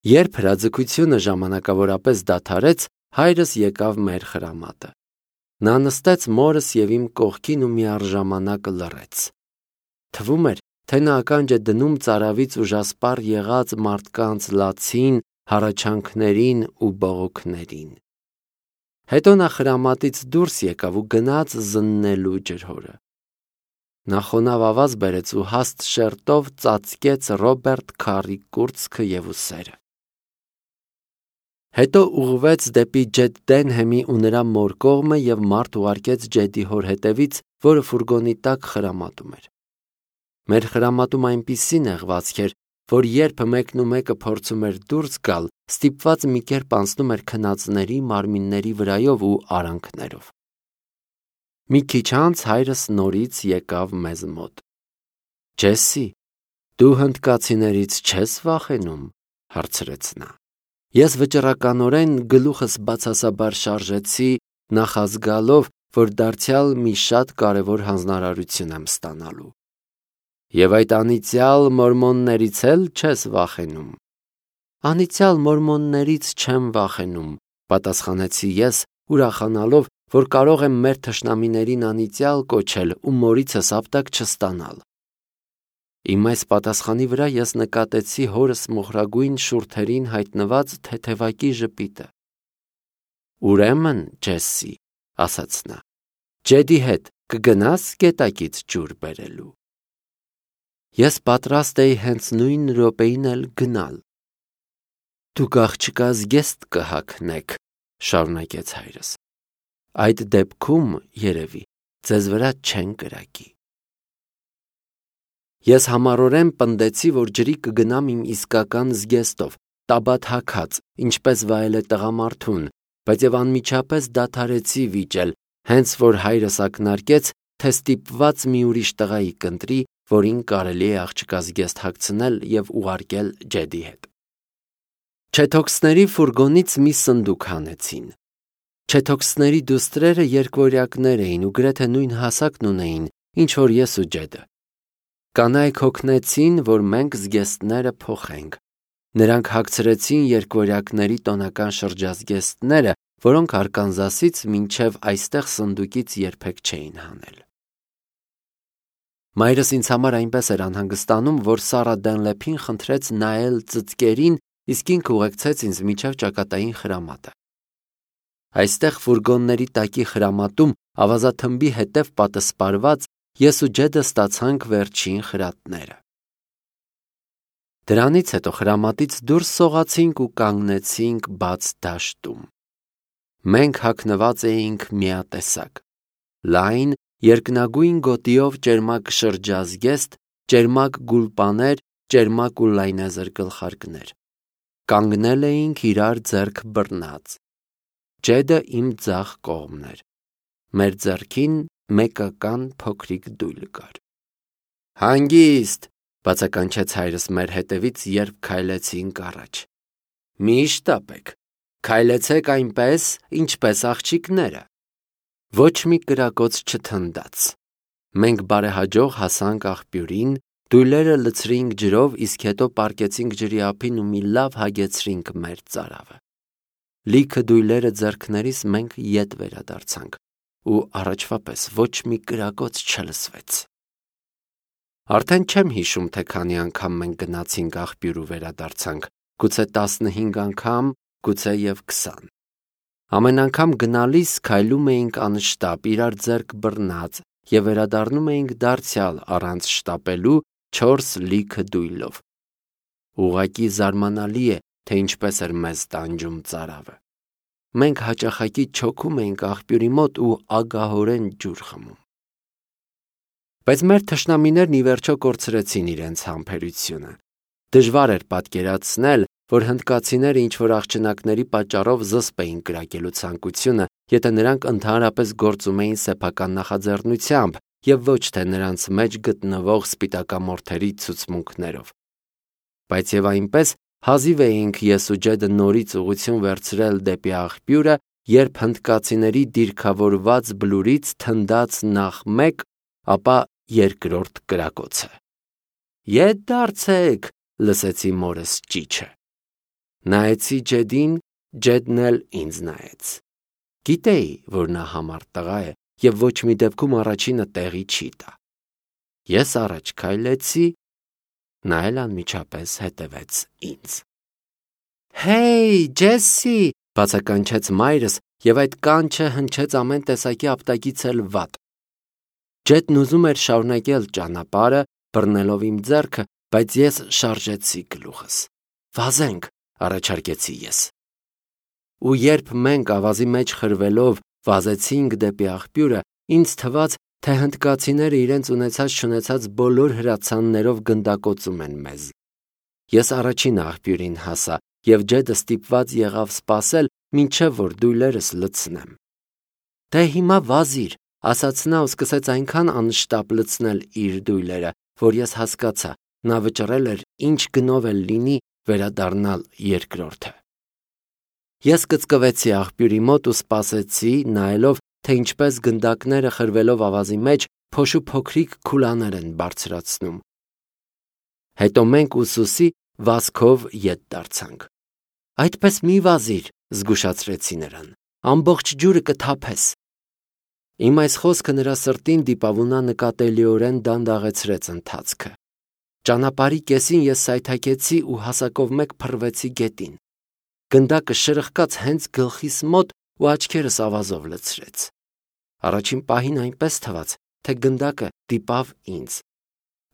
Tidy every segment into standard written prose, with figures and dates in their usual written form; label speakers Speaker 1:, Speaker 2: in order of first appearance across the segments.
Speaker 1: Երբ հրաձգությունը ժամանակավորապես դադարեց, հայրս եկավ մեր խրամատը։ Նա նստեց մորս և իմ կողքին ու միառժամանակ լռեց։ Թվում էր, թե նա ականջ է դնում ծարավից ուժասպառ եղած մարդկանց լացին, հառաչանքներին ու բողոքներին։ Հետո նա խրամատից դուրս եկավ ու գնաց զննելու ջրհորը։ Նա խոնավ ավազ բերեց ու հաստ շերտով ծածկեց Ռոբերտ Քարի կուրծքը և ուսերը։ Հետո ուղղվեց դեպի Ջեդ Դենհեմի ու նրա մոր կողմը և մարդ ուղարկեց Ջեդի հոր հետևից, որը ֆուրգոնի տակ խրամատում էր։ Մեր խրամատում այնպիսի նեղվածք էր, որ երբ մեկն ու մեկը փորձում էր դուրս գալ, ստիպված մի կերպ անցնում էր քնածների մարմինների վրայով ու արանքներով։ Մի քիչ անց հայրս նորից եկավ մեզ մոտ։ «Ջեսսի, դու հնդկացիներից չես վախենում», հարցրեց նա։ Ես վճռականորեն գլուխս բացասաբար շարժեցի, նախազգալով, որ դարձյալ մի շատ կարևոր հանձնարարություն եմ ստանալու։ «Եվ այդ անիծյալ մորմոններից էլ չես վախենում»։ «Անիծյալ մորմոններից չեմ վախենում», պատասխանեցի ես, ուրախանալով, որ կարող եմ մեր թշնամիներին անիծյալ կոչել ու մորիցս ապտակ չստանալ։ Իմ այս պատասխանի վրա ես նկատեցի հորս մոխրագույն շուրթերին հայտնված թեթևակի ժպիտը։ «Ուրեմն, Ջեսսի, — ասաց նա, — Ջեդի հետ կգնաս գետակից ջուր բերելու»։ Ես պատրաստ էի հենց նույն րոպեին էլ գնալ։ «Դուք աղջկա զգեստ կհագնեք», — շարունակեց հայրս։ «Այդ դեպքում, երևի, ձեզ վրա չեն կրակի»։ Ես համառորեն պնդեցի, որ ջրի կգնամ իմ իսկական զգեստով, տաբատ հագած, ինչպես վայել է տղամարդուն, բայց և անմիջապես դադարեցի վիճել, հենց որ հայրս ակնարկեց, թե ստիպված մի ուրիշ տղայի կընտրի, որին կարելի է աղջկազգեստ հագցնել և ուղարկել Ջեդի հետ։ Չեթոքսների ֆուրգոնից մի սնդուկ հանեցին։ Չեթոքսների դուստրերը երկվորյակներ էին ու գրեթե նույն հասակն ունեին, ինչ որ ես ու Ջեդը։ Կանայք հոգնեցին, որ մենք զգեստները փոխենք։ Նրանք հագցրեցին երկվորյակների տոնական շրջազգեստները, որոնք Արկանզասից մինչև այստեղ սնդուկից երբեք չէին հանել։ Մայրս ինձ համար այնպես էր անհանգստանում, որ Սառա Դենլեփին խնդրեց նայել ծծկերին, իսկ ինքը ուղեկցեց ինձ մինչև ճակատային խրամատը։ Այստեղ ֆուրգոնների տակի խրամատում ավազաթմբի հետև պատսպարված ես ու Ջեդը ստացանք վերջին խրատները։ Դրանից հետո խրամատից դուրս սողացինք ու կանգնեցինք բաց դաշտում։ Մենք հագնված էինք միատեսակ՝ լայն, երկնագույն գոտիով ճերմակ շրջազգեստ, ճերմակ գուլպաներ, ճերմակ ու լայնեզր գլխարկներ։ Կանգնել էինք իրար ձեռք բռնած։ Ջեդը իմ ձախ կողմն էր։ Մեր ձեռքին մեկական փոքրիկ դույլ կար։ «Հանգիստ», — բացականչեց հայրս մեր հետևից, երբ քայլեցինք առաջ։ «Մի՛ շտապեք, քայլեցեք այնպես, ինչպես աղջիկները»։ Ոչ մի կրակոց չթնդաց։ Մենք բարեհաջող հասանք աղբյուրին, դույլերը լցրինք ջրով, իսկ հետո պառկեցինք ջրի ափին ու մի լավ հագեցրինք մեր ծարավը։ Լիքը դույլերը ձեռքներիս մենք ետ վերադարձանք, ու առաջվա պես ոչ մի կրակոց չլսվեց։ Արդեն չեմ հիշում, թե քանի անգամ մենք գնացինք աղբյուր ու վերադարձանք, գուցե 15 անգամ, գուցե և 20։ Ամեն անգամ գնալիս քայլում էինք անշտապ, իրար ձեռք բռնած, և վերադառնում էինք դարձյալ առանց շտապելու 4 լիքը դույլով։ Ուղղակի զարմանալի է, թե ինչպես էր մեզ տանջում ծարավը։ Մենք հաճախակի չոքում էինք աղբյուրի մոտ ու ագահորեն ջուր խմում։ Բայց մեր թշնամիներն ի վերջո կորցրեցին իրենց համբերությունը։ Դժվար էր պատկերացնել, որ հնդկացիները ինչ-որ աղջնակների պատճառով զսպ էին կրակելու ցանկությունը, եթե նրանք ընդհանրապես գործում էին սեփական նախաձեռնությամբ և ոչ թե նրանց մեջ գտնվող սպիտակամորթերի ցուցմունքներով։ Բայց և այնպես հազիվ էինք ես ու Ջեդը նորից ուղղություն վերցրել դեպի աղբյուրը, երբ հնդկացիների դիրքավորված բլուրից թնդաց նախ մեկ, ապա երկրորդ կրակոցը։ «Ետ դարձեք», լսեցի մորս ճիչը։ Նայեցի Ջեդին, Ջեդն էլ ինձ նայեց։ Գիտեի, որ նա համառ տղա է և ոչ մի դեպքում առաջինը տեղի չի տա։ Ես առաջ քայլեցի, նա էլ անմիջապես հետևեց ինձ։ «Հեյ, Ջեսի», բացականչեց մայրս, և այդ կանչը հնչեց ամեն տեսակի ապտակից էլ վատ։ Ջեդն ուզում էր շարունակել ճանապարհը, բռնելով իմ ձեռքը, բայց ես շարժեցի գլուխս։ «Վազենք», առաջարկեցի ես։ Ու երբ մենք ավազի մեջ խրվելով վազեցինք դեպի աղբյուրը, ինձ թվաց, թե հնդկացիները իրենց ունեցած-չունեցած բոլոր հրացաններով գնդակոծում են մեզ։ Ես առաջին աղբյուրին հասա, և Ջեդը ստիպված եղավ սպասել, մինչև որ դույլերս լցնեմ։ «Դե հիմա վազիր», ասաց նա ու սկսեց այնքան անշտապ լցնել իր դույլերը, որ ես հասկացա, նա վճռել էր ինչ գնով էլ լինի վերադառնալ երկրորդը։ Ես կծկվեցի աղբյուրի մոտ ու սպասեցի, նայելով, թե ինչպես գնդակները խրվելով ավազի մեջ փոշու փոքրիկ քուլաներ են բարձրացնում։ Հետո մենք ուսուսի վազքով ետ դարձանք։ «Այդպես մի վազիր», զգուշացրեցի նրան, «ամբողջ ջուրը կթափես»։ Իմ այս խոսքը նրա սրտին դիպավունա նկատելիորեն դանդաղեցրեց ընթացքը։ Ճանապարհի կեսին ես սայթաքեցի ու հասակով մեկ փռվեցի գետին։ Գնդակը շրխկաց հենց գլխիս մոտ ու աչքերս ավազով լցրեց։ Առաջին պահին այնպես թվաց, թե գնդակը դիպավ ինձ։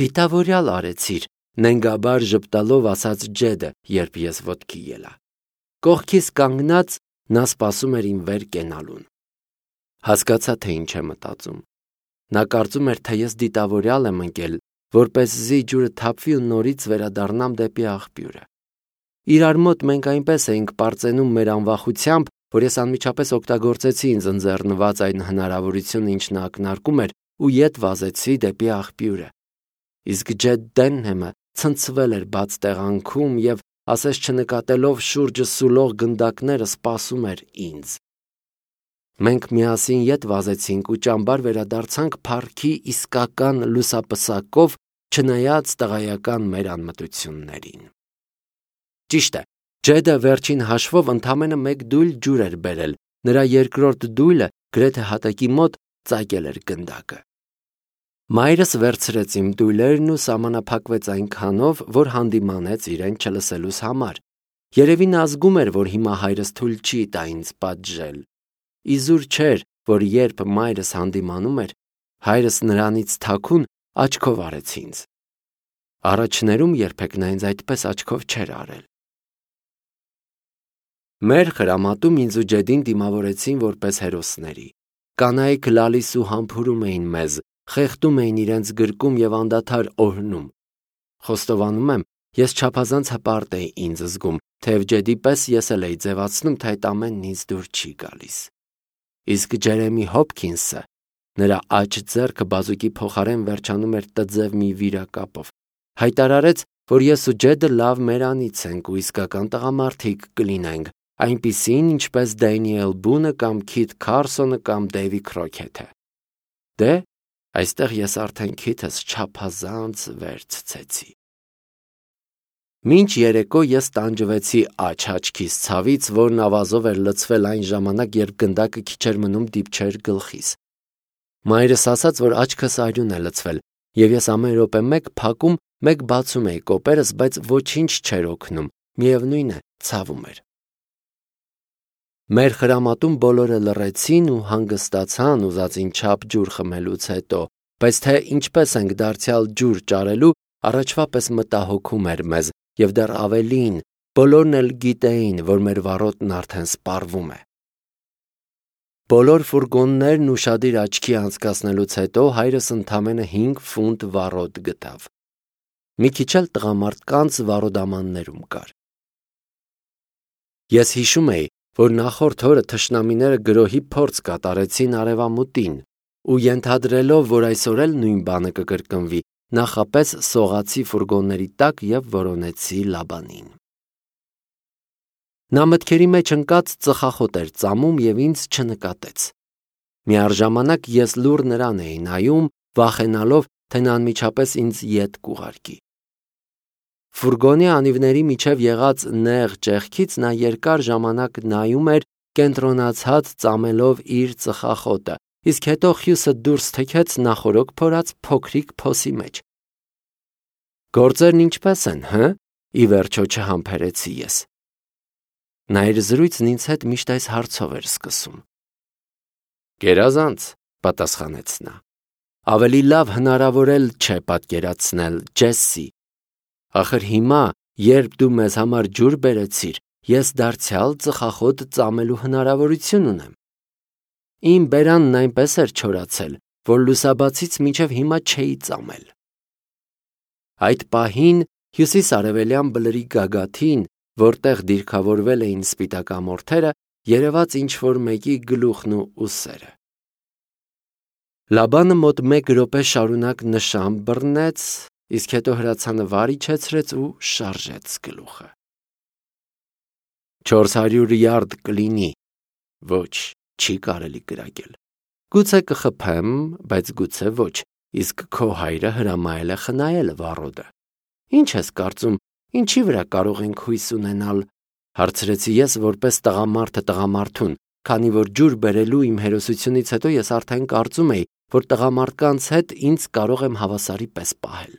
Speaker 1: «Դիտավորյալ արեցիր», նենգաբար ժպտալով ասաց Ջեդը, երբ ես ոտքի ելա։ Կողքիս կանգնած նա սպասում էր իմ վեր կենալուն։ Հասկացա, թե ինչ է մտածում։ Նա կարծում էր, թե ես դիտավորյալ եմ ընկել, որպեսզի ջուրը թափվի ու նորից վերադառնամ դեպի աղբյուրը։ Իրար մոտ մենք այնպես էինք պարծենում մեր անվախությամբ, որ ես անմիջապես օգտագործեցի ինձ ընձեռնված այն հնարավորությունը, ինչ նա ակնարկում էր, ու ետ վազեցի դեպի աղբյուրը։ Իսկ Ջեդ Դենհեմը ցնցվել էր բաց տեղանքում և, ասես չնկատելով շուրջը սուլող գնդակները, սպասում էր ինձ։ Մենք միասին ետ վազեցինք ու ճամբար վերադարձանք փառքի իսկական լուսապսակով, չնայած տղայական մեր անմտություններին։ Ճիշտ է, Ջեդը վերջին հաշվով ընդամենը մեկ դույլ ջուր էր բերել, նրա երկրորդ դույլը գրեթե հատակի մոտ ծակել էր գնդակը։ Մայրս վերցրեց իմ դույլերն ու սահմանափակվեց այնքանով, որ հանդիմանեց իրեն չլսելուս համար։ Երևի նա զգում էր, որ հիմա հայրս թույլ չի տա ինձ պատժել։ Իզուր չէր, որ երբ մայրս հանդիմանում էր, հայրս նրանից թաքուն աչքով արեց ինձ։ Առաջներում երբեք նա ինձ այդպես աչքով չէր արել։ Մեր խրամատում ինձ ու Ջեդին դիմավորեցին որպես հերոսների։ Կանայք լալիս ու համբուրում էին մեզ, խեղդում էին իրենց գրկում և անդադար օրհնում։ Խոստովանում եմ, ես չափազանց հպարտ էի ինձ զգում, թեև Ջեդի պես ես էլ էի ձևացնում, թե այդ ամենն ինձ դուր չի գալիս։ Իսկ Ջերեմի Հոփքինսը, նրա աջ ձեռքը բազուկի փոխարեն վերջանում էր տձև մի վիրակապով, հայտարարեց, որ ես ու Ջեդը լավ մերանից ենք ու իսկական տղամարդիկ կլինենք, այնպիսին, ինչպես Դենիել Բունը կամ Քիթ Քարսոնը կամ Դեյվի Քրոքեթը։ Դե, այստեղ ես արդեն քիթս չափազանց վերցցեցի։ Մինչ երեկո ես տանջվեցի աչքիս ցավից, որն ավազով էր լցվել այն ժամանակ, երբ գնդակը քիչ էր մնում դիպչեր գլխիս։ Մայրս ասաց, որ աչքս արյուն է լցվել, և ես ամեն րոպե մեկ փակում, մեկ բացում էի կոպերս, բայց ոչինչ չէր օգնում, միևնույն է, ցավում էր։ Մեր խրամատում բոլորը լռեցին ու հանգստացան ուզածին չափ ջուր խմելուց հետո, բայց թե ինչպես ենք դարձյալ ջուր ճարելու, առաջվա պես մտահոգում էր մեզ, և դեռ ավելին, բոլորն էլ գիտեին, որ մեր վառոդն արդեն սպառվում է։ Բոլոր ֆուրգոններն ուշադիր աչքի անցկացնելուց հետո հայրս ընդամենը 5 ֆունտ վառոդ գտավ։ Մի քիչ էլ տղամարդկանց վառոդամաններում կար։ Ես հիշում էի, որ նախորդ օրը թշնամիները գրոհի փորձ կատարեցին արևամուտին ու ենթադրելով, որ այսօր էլ նույն բանը կկրկնվի, նախապես սողացի ֆուրգոնների տակ և որոնեցի Լաբանին։ Նա մտքերի մեջ ընկած ծխախոտ էր ծամում և ինձ չնկատեց։ Միառժամանակ ես լուռ նրան էի նայում, վախենալով, թե նա անմիջապես ինձ ետ կուղարկի։ Ֆուրգոնի անիվների միջև եղած նեղ ճեղքից նա երկար ժամանակ նայում էր կենտրոնացած ծամելով իր ծխախոտը, իսկ հետո խյուսը դուրս թքեց նախորոք փորած փոքրիկ փոսի մեջ։ Գործերն ինչպես են, հը՞, ի վերջո չհամբերեցի ես։ Նա իր զրույցն ինձ հետ միշտ այս հարցով էր սկսում։ Գերազանց, պատասխանեց նա։ Ավելի լավ հնարավոր էլ չէ պատկերացնել, Ջեսսի։ Ախր հիմա, երբ դու մեզ համար ջուր բերեցիր, ես դարձյալ ծխախոտ ծամելու հնարավորություն ունեմ։ Իմ բերանն այնպես էր չորացել, որ լուսաբացից մինչև հիմա չէի ծամել։ Այդ պահին հյուսիս-արևելյան բլրի գագաթին, որտեղ դիրքավորվել էին սպիտակամորթերը, երևաց ինչ-որ մեկի գլուխն ու ուսերը։ Լաբանը մոտ 1 րոպե շարունակ նշան բռնեց, իսկ հետո հրացանը իջեցրեց ու շարժեց գլուխը։ 400 յարդ կլինի, ոչ, չի կարելի կրակել։ Գուցե կխփեմ, բայց գուցե ոչ, իսկ քո հայրը հրամայել է խնայել վառոդը։ Ինչ ես կարծում, ինչի վրա կարող ենք հույս ունենալ, հարցրեցի ես որպես տղամարդը տղամարդուն, քանի որ ջուր բերելու իմ հերոսությունից հետո ես արդեն կարծում էի, որ տղամարդկանց հետ ինձ կարող եմ հավասարի պես պահել։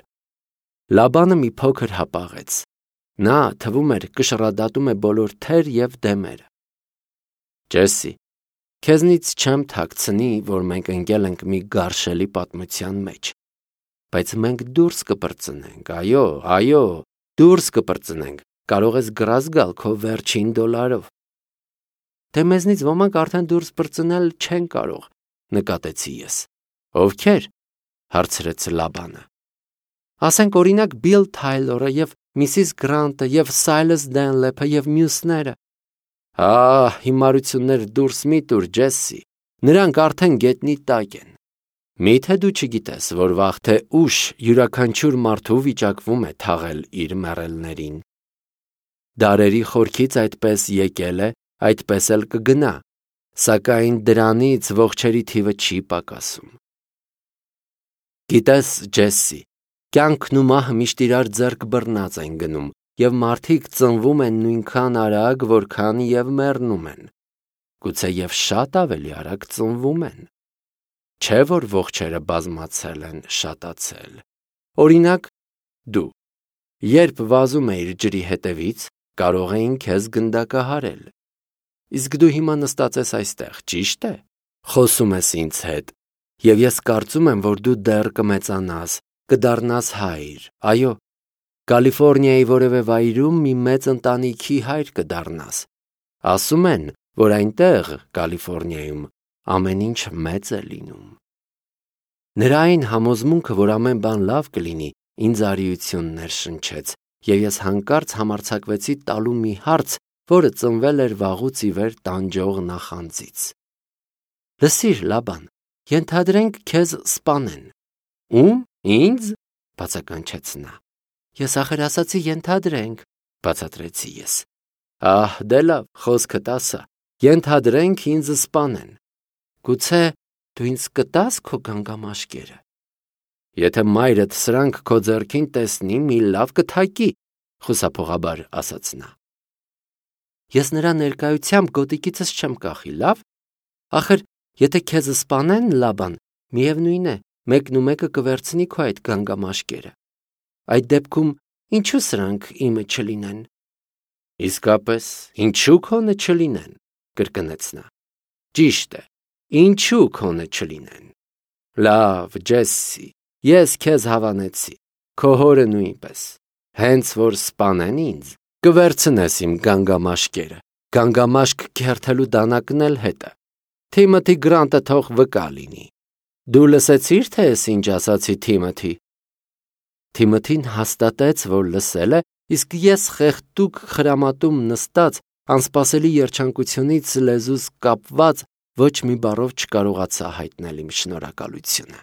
Speaker 1: Լաբանը մի փոքր հապաղեց։ Նա, թվում էր, կշռադատում է բոլոր թեր և դեմերը։ Ջեսսի, քեզնից չեմ թաքցնի, որ մենք ընկել ենք մի գարշելի պատմության մեջ։ Բայց մենք դուրս կպրծնենք, այո, դուրս կպրծնենք, կարող ես գրազ գալ քո վերջին $։ Դե մեզնից ոմանք արդեն դուրս պրծնել չեն կարող, նկատեցի ես։ Ովքեր, հարցրեց Լաբանը։ Ասենք օրինակ Բիլ Թայլորը և Միսիս Գրանտը և Սայլս Դենլեփը և մյուսները։ Հիմարություններ դուրս մի տուր, Ջեսսի, նրանք արդեն գետնի տակ են։ Միթե դու չգիտես, որ վաղ թե ուշ յուրաքանչյուր մարդու վիճակվում է թաղել իր մեռելներին։ Դարերի խորքից այդպես եկել է, այդպես էլ կգնա, սակայն դրանից ողջերի թիվը չի պակասում։ Գիտես, Ջեսսի, կյանքն ու մահը միշտ իրար ձեռք բռնած են գնում, և մարդիկ ծնվում են նույնքան արագ, որքան և մեռնում են։ Գուցե և շատ ավելի արագ ծնվում են։ Չէ՞ որ ողջերը բազմացել են, շատացել։ Օրինակ, դու, երբ վազում էիր ջրի հետևից, կարող էին քեզ գնդակահարել։ Իսկ դու հիմա նստած ես այստեղ, ճիշտ է։ Խոսում ես ինձ հետ, և ես կարծում եմ, որ դու դեռ կմեծանաս, կդառնաս հայր, այո, Կալիֆոռնիայի որևէ վայրում մի մեծ ընտանիքի հայր կդառնաս։ Ասում են, որ այնտեղ, Կալիֆոռնիայում, ամեն ինչ մեծ է լինում։ Նրա այն համոզմունքը, որ ամեն բան լավ կլինի, ինձ արիություն ներշնչեց, և ես հանկարծ համարձակվեցի տալու մի հարց, որը ծնվել էր վաղուց ի վեր տանջող նախանձից։ Լսիր, Լաբան, ենթադրենք քեզ սպանեն։ Ում, ինձ, բացականչեց նա։ Ես ախր ասացի ենթադրենք, բացատրեցի ես։ Դե լավ, խոսքդ ասա, ենթադրենք ինձ սպանեն։ Գուցե դու ինձ կտաս քո գանգամաշկերը։ Եթե մայրդ սրանք քո ձեռքին տեսնի, մի լավ կթակի, խուսափողաբար ասաց նա։ Ես նրա ներկայությամբ գոտիկիցս չեմ կախի, լավ։ Ախր, եթե քեզ սպանեն, Լաբան, միևնույն է, մեկն ու մեկը կվերցնի քո այդ գանգամաշկերը։ Այդ դեպքում ինչու սրանք իմը չլինեն։ Իսկապես, ինչու քոնը չլինեն, կրկնեց նա։ Ճիշտ է, ինչու քոնը չլինեն։ Լավ, Ջեսսի, ես քեզ հավանեցի, քո հորը նույնպես։ Հենց որ սպանեն ինձ, կվերցնես իմ գանգամաշկերը, գանգամաշկ քերթելու դանակն էլ հետը։ Թիմոթի Գրանտը թող վկա լինի։ Դու լսեցի՞ր, թե ես ինչ ասացի Թիմոթի։ Թիմոթին հաստատեց, որ լսել է, իսկ ես խեղդուկ խրամատում նստած, անսպասելի երջանկությունից լեզուս կապված, ոչ մի բառով չկարողացա հայտնել իմ շնորհակալությունը։